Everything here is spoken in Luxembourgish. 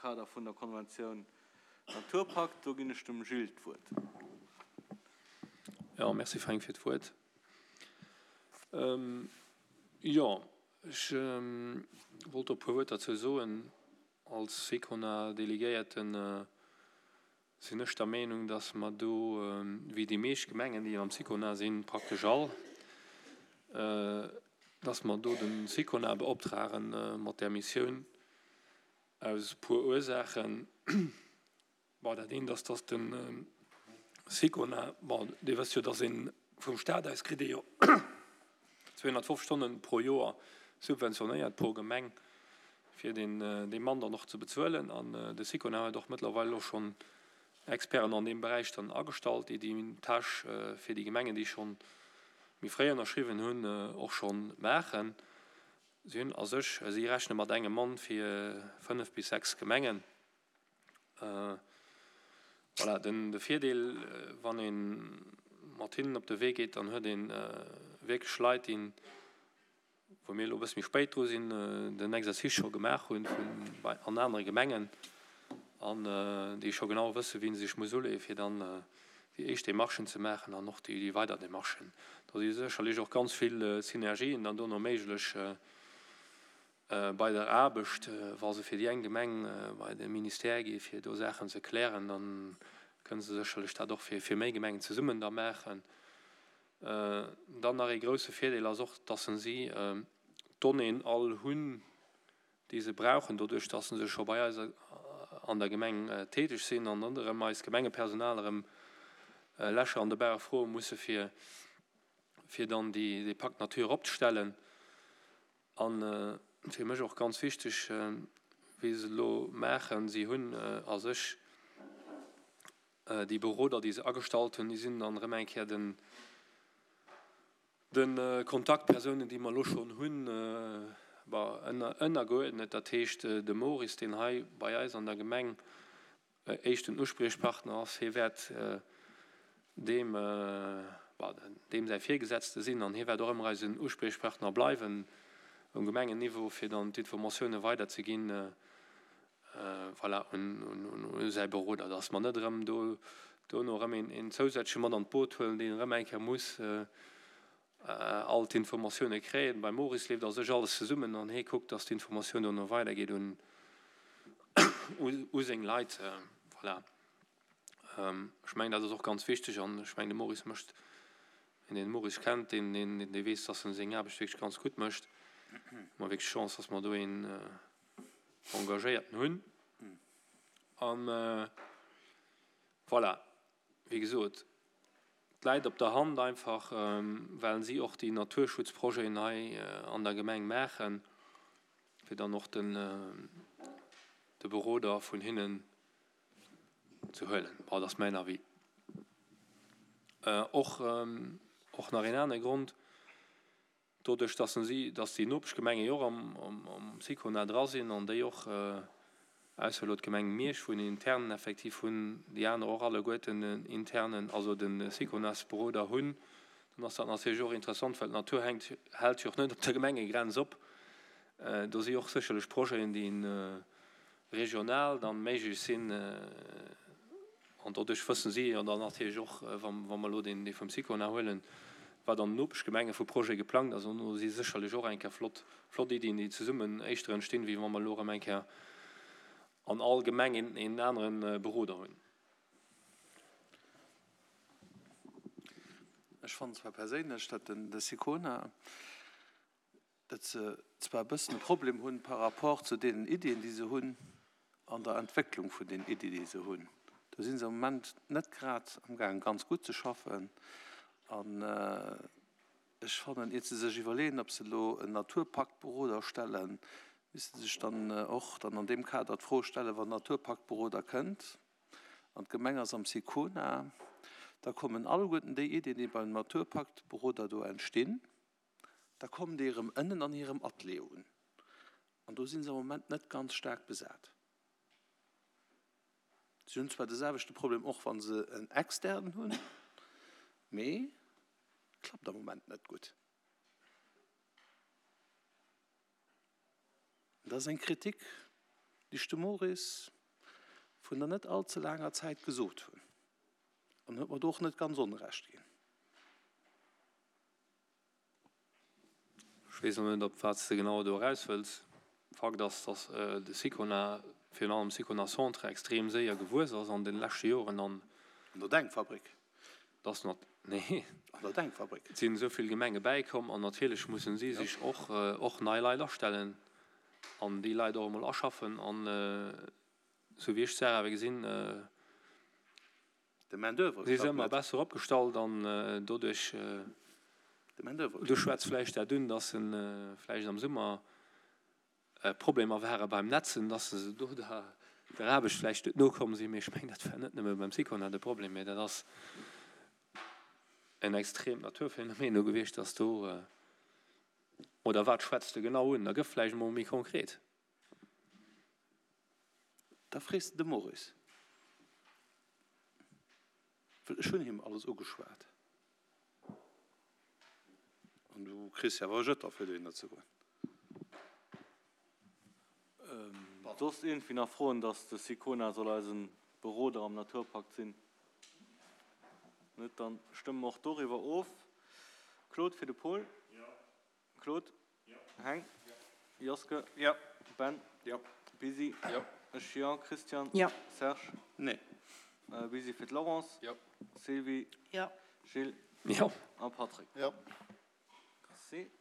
Kader vun der Konventioun Naturpakt. Do ginn ech dem Gilles d'Wuert. Jo, merci Fränk fir d'Wuert. Jo, ech wollt do e puer Wuert derzou soen. Als SICONA-Delegéierten sinn ech der Meenung, dass mer do, wéi déi meescht Gemengen, déi am SICONA sinn, praktesch all, dass mer do de SICONA beoptrage mat där Missioun aus e puer Ursaachen. Bon, dat eent ass, dass de SICONA, bon, Dir wësst jo, dass ee vum Stat aus kritt ee jo 250 Stonnen pro Joer subventionéiert pro Gemeng, fir deen dee Mann dann och ze bezuelen. An de SICONA huet och mëttlerweil elo schonn Experten an deem Beräich dann agestallt, déi déi Tâche fir déi Gemengen, déi schonn méi fréi ënnerschriwwen hunn, och schonn maachen. Si hunn a sech, si rechne mat engem Mann fir 5 bis 6 Gemengen. Voilà, den de Virdeel, wann ee mat hinnen op de Wee geet, dann huet ee wierklech Leit, déi, wou mir elo e bësse méi spéit dru sinn, den Exercice scho gemaach hunn vun an anere Gemengen an déi scho genau wëssen, wéi se sech muss uleeën, fir dann déi éischt Demarchen ze maachen an och déi weider Demarchen. Do si sécherlech och ganz vill Synergien dann dono méiglech bei der Aarbecht. Wa se fir déi eng Gemeng bei de Ministère gi fir do Saachen ze klären, da kënne se sécherlech dat och fir méi Gemengen zesummen da maachen. Dann nach ee grouse Virdeel ass och, dass si d'Donnéeën all hunn, déi se brauchen, doduerch dass se scho bei eis an der Gemeng täteg sinn an net erëm eist Gemengepersonal erëm Lächer an de Bauch froe musse fir fir dann déi dee Pacte nature opzestellen. A fir mech och ganz wichteg, wéi se elo maachen, si hunn a sech déi Beroder, déi se agestallt hunn, déi sinn dann erëm eng Kéier den de Kontaktpersounen, déi mer elo schonn hunn, ënnergeuerdnet. Dat heescht, de Maurice, deen hei bei eis an der Gemeng éischten Uspriechpartner ass, hie wäert deem, deem säi Virgesetzte sinn an hie wäert och ëmmer eisen Uspriechpartner bleiwen um Gemengenniveau, fir dann d'Informatioune weiderzeginn, voilà, un säi Beroder, dass mer net erëm do dono erëm een zousätzleche mat an d'Boot huelen, deen erëm eng Kéier muss all d'Informatioune kréien. Beim Maurice leeft a sech alles zesummen an hie kuckt, dass d'Informatioun dono weidergeet un u seng Leit. Voilà. Ech mengen, dat ass och ganz wichteg an ech mengen, de Maurice mécht, wien den Maurice kennt, deen, deen, dee weess, dass en seng Aarbecht wierklech ganz gutt mécht. Hu mer wierklech Chance, dass mer do een Engagéierten hunn. An voilà, wéi gesot, et läit op der Hand einfach, well si och déi Naturschutzprojeten hei an der Gemeng maachen, fir dann och den, de Beroder vun hinnen ze huelen. Bon, dat ass mäin Avis. Och, och nach een anere Grond, Doduerch, dass si, dass déi Nopeschgemenge jo och am Sicona dra sinn an déi och, ausser elo d'Gemeng Miersch, wou en internen Effectif hunn, déi aner och alleguerten en internen, also de Siconasberoder hunn, dann ass dat natierlech och interessant, well d'Natur hänkt, hält jo och net op der Gemengegrenz op. Do si och sécherlech Projeten, déi regional dann méiglech sinn. An doduerch wëssen si jo dann natierlech och, wa mer elo deen vum Sicona huelen, wat an den Nopeschgemenge vu Projete geplangt ass. An do si sécherlech och eng Kéier flott, flott Iddien, déi zesummen éischter entstinn, wéi wa mer elo erëm eng Kéier an all Gemeng een, een anere Beroder hunn. Ech fannen zwar perséinlech, datt den de Sicona, datt se zwar e bëssen e Problem hunn par rapport zu deenen Iddien, déi se hunn, an der Entwécklung vun den Iddien, déi se hunn. Do si se am Moment net grad amgaangen, ganz gutt ze schaffen. An ech fannen, iert se sech iwwerleeën, ob se elo en Naturpaktberoder stellen, misste se sech dann och dann an deem Kader d'Fro stellen, wann en Naturpaktberoder kënnt an d'Gemeng ass am Sicona, da kommen alleguerten déi Iddien, déi beim Naturpaktberoder do entstinn, da kommen déi erëm ënnen an hirem Atelier un an do si se am Moment net ganz staark besat. Si hunn zwar de selwechte Problem och wa se en externen hunn, mee klappt am Moment net gutt. Dat ass eng Kritik. Déi ech dem Maurice vun der net all ze laanger Zäit gesot hunn. An en huet mer do och net ganz Onrecht ginn. Ech weess elo net, op wat s de genau do eraus wëlls. Fakt ass, datt de Sicona, virun allem Sicona Centre, extrem séier gewuess ass an de leschte Joren an. An der Denkfabrik. Datt nat, nee. An der Denkfabrik. Et sinn esou vill Gemenge bäikomm an natierlech mussen si sech och, och nei Leit astellen an déi Leit och emol aschaffen an, esou wéi ech d'Saach awer gesinn, De Main d'oeuvre si se ëmmer besser opgestallt an doduerch, De Main d'oeuvre du schwätz vläicht dat un, dass se vläicht am Summer Problemer ware beim Netzen, dass se do der der Aarbecht vläicht net nokomm sinn. Mee ech mengen, dat war net nëmme beim Sicona de Problem, mee dat ass en extreemt Naturphänomen do gewiescht, dass do, oder wat schwätz de genau un? Da gëff vläicht emol méi konkret. Da frees de de Maurice, well ech hunn him alles ugeschwat. An du kriss jo awer e Jëtter fir dohinner ze goen. Soss iergendwéi nach Froen, dass de Sicona soll eisen Beroder am Naturpakt sinn? Net? Dann stëmme mer och doriwwer of. Claude fir de Paul? Claude? Heng? Joske? Ben? Busy? Ech jo. Christian? Serge? Nee. Busy fir d'Laurence? Sylvie? Gilles? Jo. A Patrick? Jo. Merci.